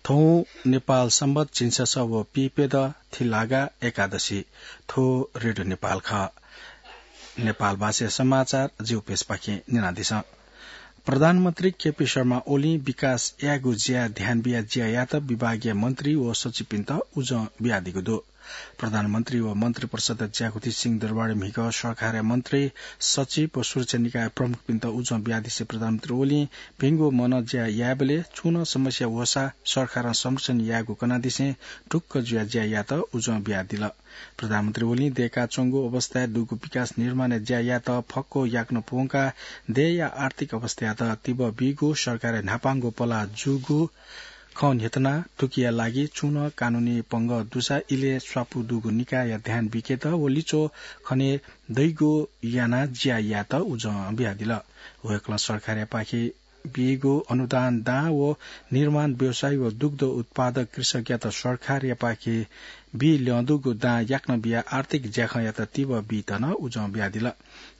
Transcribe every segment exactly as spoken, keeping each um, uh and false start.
थौं नेपाल संवत झिंछसः व पीप्यदँ थिलागा एकादशी। थ्व रेडियो नेपाल खः। नेपाल भाषा समाचार जिगु पेजपाखें न्यनादिसँ। प्रधानमन्त्री केपी शर्मा ओलीं विकास यायेगु ज्याय् ध्यान बियाः ज्या यायेत विभागीय मन्त्री व सचिवपिन्त उजं बियादीगु दु। प्रधानमन्त्री व मन्त्री परिषदया ज्याकुथि सिंहदरबारय् म्हिगः सरकारया मन्त्री, सचिव व सुरक्षा निकाय प्रमुखपिन्त उजं बियादिसें प्रधानमन्त्री ओलीं भिंगु मनं ज्या यायेबलय् छुं नं समस्या वःसा सरकारं संरक्षण यायेगु कनादिसें ढुक्क जुयाः ज्या यायेत उजं बियादिल। प्रधानमन्त्री ओलीं दय्काच्वंगु अवस्थाय् दुगु विकास निर्माणया ज्या यायेत फक्व याकनं प्वंकाः देय्या आर्थिक अवस्थायात तिबः बीगु, सरकारया न्हापांगु पलाः जूगु खँ न्ह्यथनाः थुकिया लागि छुं नं कानूनी पंगः दुसा इलय् स्वापू दुगु निकायया ध्यान बिकेत व लिच्वः खने दइगु यानाः ज्या यायेत उजं बियादिल। वय्कलं सरकारयापाखें बीगु अनुदान दां व निर्माण व्यवसायी व दुग्ध उत्पादक कृषकयात सरकारयापाखें बी ल्यं दुगु दां याकनं बियाः आर्थिक ज्याखँयात तिबः बीत नं उजं बियादिल।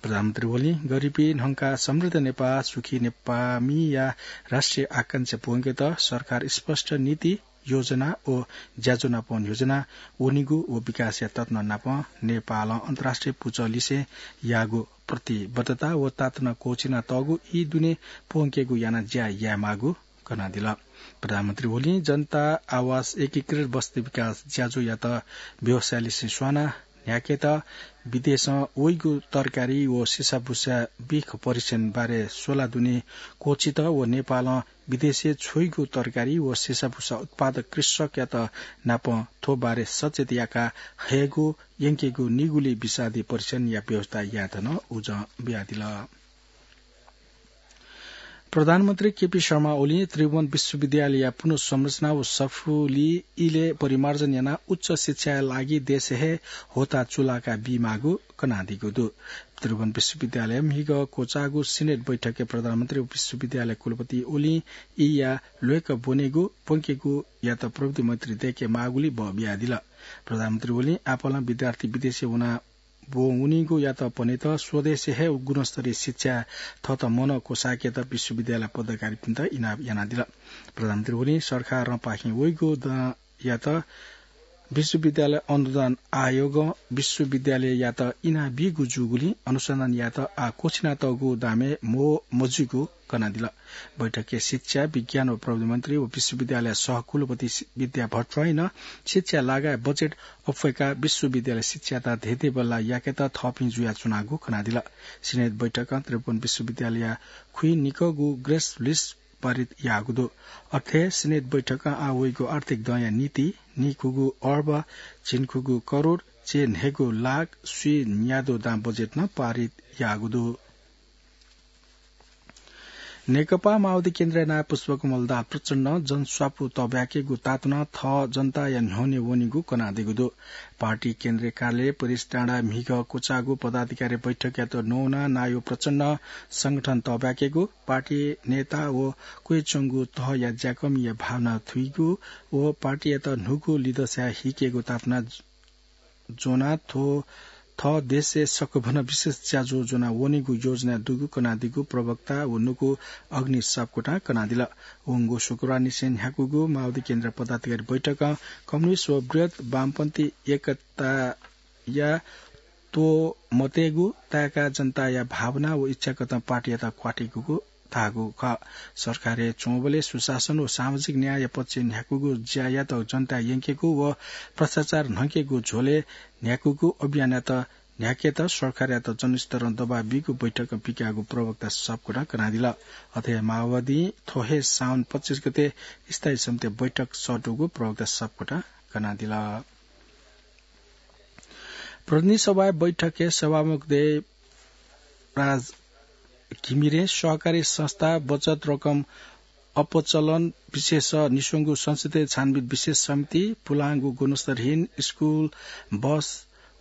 प्रधानमन्त्री ओलीं गरिबी न्हंकाः समृद्ध नेपाः, सुखी नेपाःमिया राष्ट्रिय आकांक्षा प्वंकेत सरकार स्पष्ट नीति, योजना व ज्याझ्वः नापं न्ह्यज्वना वनीगु व विकासया तत्त्व नापं नेपालं अन्तर्राष्ट्रिय पुचः लिसें याःगु प्रतिबद्धता व ताःतना क्वःछिना तःगु ई दुने प्वंकेगु यानाः ज्या यायेमाःगु कनादिल। प्रधानमन्त्री ओलीं जनता आवास एकीकृत बस्ती विकास ज्याझ्वःयात व्यवसाय लिसें स्वानाः न्ह्याकेत विदेशं वइगु तरकारी व सिसाबुसा बिख परीक्षण बारे स्वला दुने क्वःछित व नेपालं विदेशय् छ्वइगु तरकारी व सिसाबुसा उत्पादक कृषकयात नापं थ्व बारे सचेत याका हयेगु यंकेगु निगुली विषादी परीक्षणया व्यवस्था यायेत नं उजं बियादिल। प्रधानमन्त्री केपी शर्मा ओलीं त्रिभुवन विश्वविद्यालयया पुनर्संरचना व सफुली इलय् परिमार्जन यानाः उच्च शिक्षाया लागि देशय् हे होता चुलाका बीमाःगु कनादीगु दु। त्रिभुवन विश्वविद्यालय म्हिगः क्वचाःगु सिनेट बैठकय् प्रधानमन्त्री व विश्वविद्यालय कुलपति ओलीं ईया ल्वय्क ब्वनेगु, प्वंकेगुयात प्रविधि मन्त्री दय्के माःगुलिं बः बियादिल। प्रधानमन्त्री ओलीं आपालं विद्यार्थी विदेशय् वना ब्वंवनीगुयात पनेत स्वदेशय् हे गुणस्तरीय शिक्षा थःत मनं क्वसाकेत विश्वविद्यालय पदाधिकारीपिन्त इनाप यानादिल। प्रधानमन्त्री ओलीं सरकारं पाखें वइगु दांयात विश्वविद्यालय अनुदान आयोगं विश्वविद्यालययात इनाबीगु जूगुलिं अनुसन्धान यायेत आः क्वछिनातःगु दामय् म्हो मजुइगु कनादिल। बैठकय् शिक्षा, विज्ञान व प्रविधि मन्त्री व विश्वविद्यालय सहकुलपति सि-, विद्या भट्टराईं नं शिक्षा लागाय् बजेट अप्वय्काः विश्वविद्यालय शिक्षायात धेधे बल्लाः याकेत थःपिं जुयाच्वनागु कनादिल। सिनेट बैठकं त्रिभुवन विश्वविद्यालयया खुइनिकःगु ग्रेस लिस्ट पारित याःगु दु। अथे सिनेट बैठकं आः वइगु आर्थिक दँया निंतिं निखुगू अर्ब, झिंखुगू करोड, चय्न्हय्गू लाख, स्वीन्यादँ दां बजेट नं पारित याःगु दु। नेकपा माओवादी केन्द्रया नायः पुष्पकमल दाहाल प्रचण्डं जनस्वापू तःब्याकेगु तातुनाः थः जनताया न्ह्यःने वनीगु कनादीगु दु। पार्टी केन्द्रीय कार्यालय परेश डाँडाय् म्हिगः क्वचाःगु पदाधिकारी बैठकयात नवानाः नायः प्रचण्डं संगठन तःब्याकेगु, पार्टी नेता व क्वय्च्वंगु तहया ज्याकःमिया भावना थुइगु व पार्टीयात न्हूगु लिदँसाय् हिकेगु तातुना ज्वनाः थ्व थः देशय् सकभनं विशेष ज्याझ्वः ज्वना वनेगु योजना दुगु कनादीगु प्रवक्ता व नुगु अग्नि सापकोटां कनादिल। वंगु शुक्रबारनिसें न्ह्याकूगु माओवादी केन्द्र पदाधिकारी बैठकं कम्युनिस्ट व बृहत् वामपन्थी एकताया त्वमतेगु, ताय्का जनताया भावना व इच्छाकथं पार्टीयात क्वातिकूगु धाःगु खः। सरकारय् च्वंबलय् सुशासन व सामाजिक न्यायया पक्षय् न्ह्याकूगु ज्यायात जनताय् यंकेगु व भ्रष्टाचार न्हंकेगु झ्वलय् न्ह्याकूगु अभियानयात न्ह्याकेत सरकारयात जनस्तरं दबाब बीगु बैठकं पिकाःगु प्रवक्ता सापकोटां कनादिल। अथे हे माओवादीं थ्व हे साउन पच्चिस गते स्थायी समिति बैठक सःतूगु प्रवक्ता सापकोटां कनादिल। प्रतिनिधि सभाया बैठकय् सभामुख देवराज घिमिरें सहकारी संस्था, बचत रकम अपचलन विषयस निस्वंगु संसदीय छानबिन विशेष समिति, पुलांगु गुणस्तरहीन स्कुल बस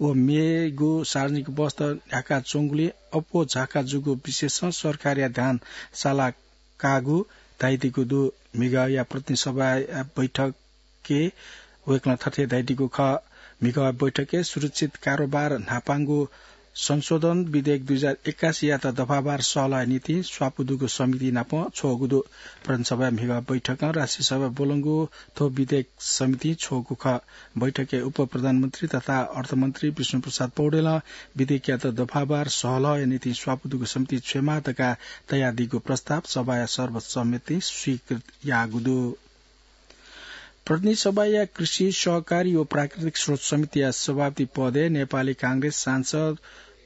व मेगु सार्वजनिक बसत न्ह्याकाच्वंगुलिं अप्वः झाका जूगु विषयसं सरकारया ध्यान साला काःगु धाइदीगु दु। म्हिगःया प्रतिनिधि सभाया बैठकय् वय्कलं थथे धाइदीगु खः। म्हिगः बैठकय् सुरक्षित कारोबार न्हापांगु संशोधन विधेयक दुई हजार एक्कासीयात दफावार सहलहया निंतिं स्वापू दुगु समिति नाप छ्वःगु दु। प्रदेशसभाया म्हिगः बैठकं राष्ट्रिय सभाय् ब्वलंगु थ्व विधेयक समितिं छ्वःगु खः। बैठकय् उपप्रधानमन्त्री तथा अर्थमन्त्री विष्णुप्रसाद पौडेलं विधेयकयात दफावार सहलहया निंतिं स्वापू दुगु समिति छ्वयेमाः धकाः तयादीगु प्रस्ताव सभाया सर्वसम्मतिं स्वीकृत याःगु दु। प्रतिनिधि सभाया कृषि, सहकारी व प्राकृतिक स्रोत समितिया सभापति पदय् नेपाली कांग्रेस सांसद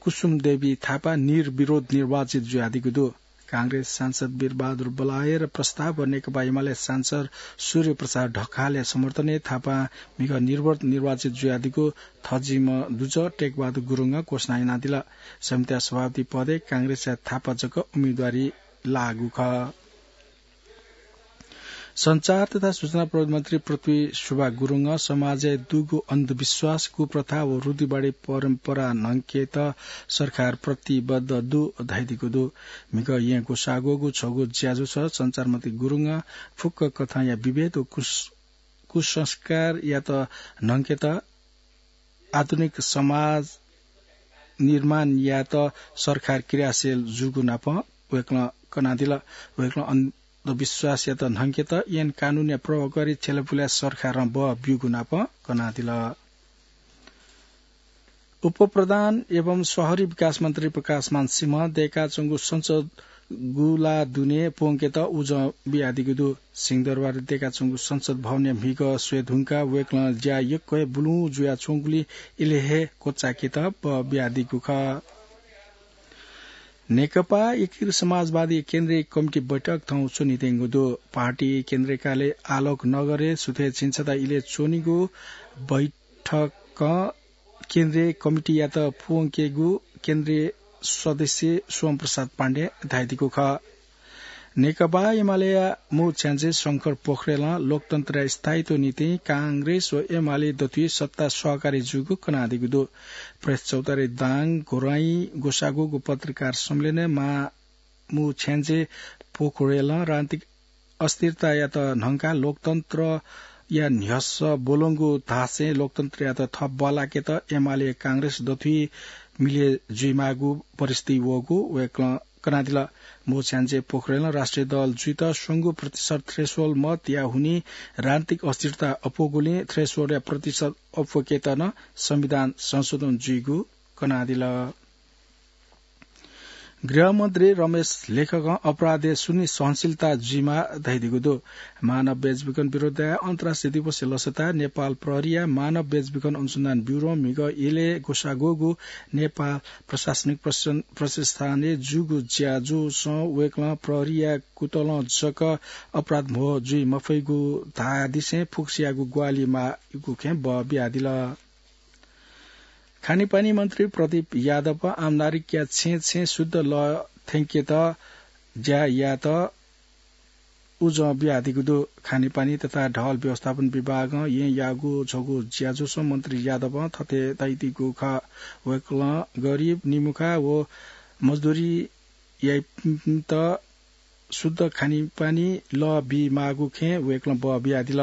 कुसुम देवी थापा निर्विरोध निर्वाचित जुयादीगु दु। कांग्रेस सांसद वीरबहादुर बलायर प्रस्ताव व नेकपा एमाले सांसद सूर्य प्रसाद ढकालया समर्थनय् थापा म्हिगः निर्विरोध निर्वाचित जुयादीगु थजिम्ह दुजः टेकबहादुर गुरुङं घोषणा यानादिल। समितिया सभापति पदय् कांग्रेसया थापा जक उम्मेदवारी लाःगु खः। सञ्चार तथा सूचना प्रविधि मन्त्री पृथ्वी सुब्बा गुरुङं समाजय् दुगु अन्धविश्वास, कुप्रथा व रूढिवादी परम्परा न्हंकेत सरकार प्रतिबद्ध दु धयादीगु दु। म्हिगः येँ ग्वसाः ग्वःगु छगू ज्याझ्वलय् सञ्चार मन्त्री गुरुङं फुक्क कथंया विभेद व कुस-, कुसंस्कारयात न्हंकेत आधुनिक समाज निर्माण यायेत सरकार क्रियाशील जूगु नाप वय्कलं कनादिल। वय्कलं अन्धविश्वासयात न्हंकेत ऐन कानूनया प्रभावकारी छ्यलापुलाय् सरकारं बः ब्यूगु नाप कनादिल। उपप्रधान एवं शहरी विकास मन्त्री प्रकाशमान सिंहं दय्काच्वंगु संसद गुला दुने प्वंकेत उजं बियादीगु दु। सिंहदरबारय् दय्काच्वंगु संसद भवनया म्हिगः स्वये धुंकाः वय्कलं ज्या यक्व हे बुलुं जुयाच्वंगुलिं इलय् हे क्वचाय्केत बः बियादीगु खः। नेकपा एकीकृत समाजवादी केन्द्रीय कमिटी बैठक थौं च्वनेत्यंगु दु। पार्टी केन्द्रीय कार्यालय आलोक नगरय् सुथय् झिंछता इलय् च्वनीगु बैठकं केन्द्रीय कमिटीयात प्वंकेगु केन्द्रीय सदस्य सोम प्रसाद पाण्डें धयादीगु खः। नेकपा एमालेया मू छ्याञ्जे शंकर पोखरेलं लोकतन्त्रया स्थायित्व निंतिं कांग्रेस व एमाले दथुइ सत्ता सहकारी जूगु कनादीगु दु। प्रेस चौतारी दाङ घोराइँ ग्वसाः ग्वःगु पत्रकार सम्मेलनय् मां मू छ्याञ्जे पोखरेलं राजनीतिक अस्थिरतायात न्हंकाः लोकतन्त्रया न्ह्यसः ब्वलंगु धासें लोकतन्त्रयात थप बल्लाकेत एमाले कांग्रेस दथुइ मिले जुइमाःगु परिस्थिति वःगु वय्कलं कनादिल। मू छ्याञ्जे पोखरेलं राष्ट्रिय दल जुइत स्वंगू प्रतिशत threshold मतया हुनिं राजनीतिक अस्थिरता अप्वःगुलिं thresholdया प्रतिशत अप्वकेत नं संविधान संशोधन जुइगु कनादिल। गृहमन्त्री रमेश लेखकं अपराधय् शून्य सहनशीलता जुइमाः धयादीगु दु। मानव बेचबिखन विरुद्धया अन्तर्राष्ट्रिय दिवसया लसताय् नेपाल प्रहरीया मानव बेचबिखन अनुसन्धान ब्युरों म्हिगः इलय् ग्वसाः ग्वःगु नेपाल प्रशासनिक प्रशन-, प्रतिष्ठानय् जूगु ज्याझ्वलय् वय्कलं प्रहरीया कुतलं जक अपराध म्हो जुइ मफइगु धाःदिसें फुक्कसियागु ग्वाहालि माःगु खँय् बः बियादिल। खानेपानी मन्त्री प्रदीप यादवं आम नागरिकया छेँय् छेँय् शुद्ध लः थ्यंकेत ज्या यायेत उजं बियादीगु दु। खानेपानी तथा ढल व्यवस्थापन विभागं येँयाःगु छगू ज्याझ्वलय् मन्त्री यादवं थथे धयादीगु खः। वय्कलं गरिब, निमुखा व मजदुरी याइपिन्त शुद्ध खानेपानी लः बीमाःगु खँय् वय्कलं बः बियादिल।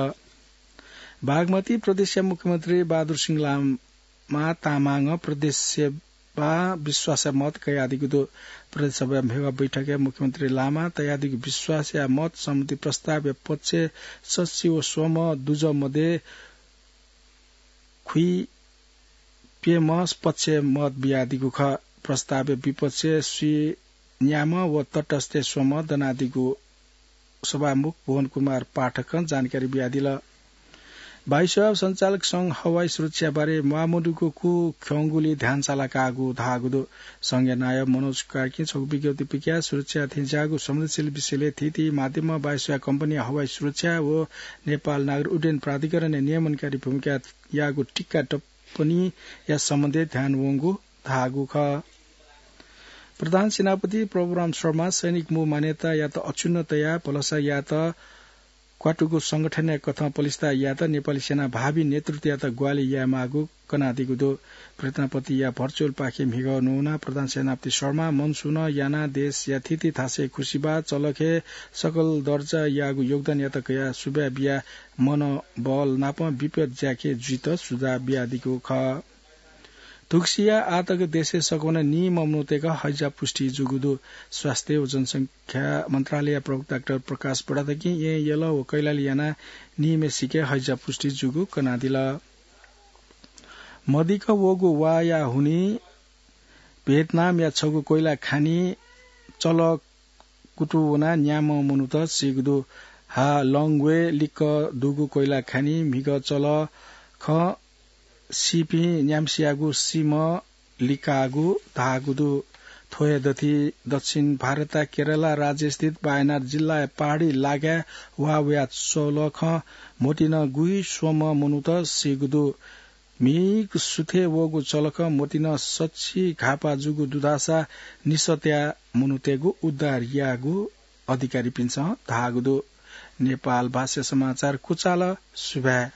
बागमती प्रदेशया मुख्यमन्त्री बहादुर सिंह लामा तामाङं प्रदेश सभां विश्वासया मत कयादीगु दु। प्रदेश सभाया म्हिगः बैठकय् मुख्यमन्त्री लामां तयादीगु विश्वासया मत सम्बन्धी प्रस्तावया पक्षय् सच्छि व स्वम्ह दुजः मध्ये खुइप्यम्ह पक्षय् मत बियादीगु खः। प्रस्तावया विपक्षय् स्वीन्याम्ह व तटस्थय् स्वम्ह दनादीगु सभामुख भुवन कुमार पाठकं जानकारी बियादिल। वायुसेवा सञ्चालक संघ हवाई सुरक्षा बारे म्वाःमदुगु कुखँगुली ध्यान सालाकाःगु धाःगु दु। संघया नायः मनोज कार्कीं छगू विज्ञप्ति पिकयाः सुरक्षा थेंज्याःगु संवेदनशील विषयलय् थीथी माध्यमं वायुसेवा कम्पनी, हवाई सुरक्षा व नेपाल नागरिक उड्डयन प्राधिकरणया नियमनकारी भूमिका याःगु टिका टिप्पणीया सम्बन्धय् ध्यान वंगु धाःगु खः। प्रधान सेनापति प्रभुराम शर्मा सैनिक मू मान्यतायात अक्षुण्ण तयाः भलसा यायेत क्वातुगु संगठनया कथं पलिस्था यायेत नेपाली सेना भावी नेतृत्वयात ग्वाहालि यायेमाःगु कनादीगु दु। प्रधानपतिया भर्चुअल पाखें म्हिगः न्वनाः प्रधान सेनापति शर्मा मनसुनं यानाः देशया थीथी थासय् खुसिबाः चलखय् सकल दर्जायागु योगदानयात कयाः सुभाय् बियाः मनोबल नापं विपद ज्याखँय् जुइत सुझाव बियादीगु खः। थुगुसिया आतक देशय् सकवना नीम्ह मनूतय्‌क हैजा पुष्टि जूगु दु। स्वास्थ्य व जनसंख्या मन्त्रालय प्रवक्ता डाक्टर प्रकाश बडाथकीं येँ यल व कैलाली यानाः नीम्हसिके हैजा पुष्टि जूगु कनादिल। मदिक्क वःगु वाःया हुनिं भियतनामया छगू कोइला खानी चलः कुतुं वनाः न्याम्ह मनूत सीगु दु। हा लंग्वय् लिक्क दुगु कोइला खानी म्हिगः चलः खँ सीपिं न्याम्हसियागु सीम्ह लिकाःगु धाःगु दु। थ्व हे दथि दक्षिण भारतया केरला राज्यस्थित वायनाड जिल्लाया पहाडी लागाय् वाः वया चलः खँ मतिनं गुइस्वम्ह मनूत सीगु दु। म्हिगः सुथय् वःगु चलः खँ मतिनं सछि घाःपाः जूगु दुधाःसा निसः तयाः मनूतय्‌गु उद्धार याःगु अधिकारीपिन्सं धाःगु दु। नेपाल भाषा समाचार कुचाल। सुभाय्।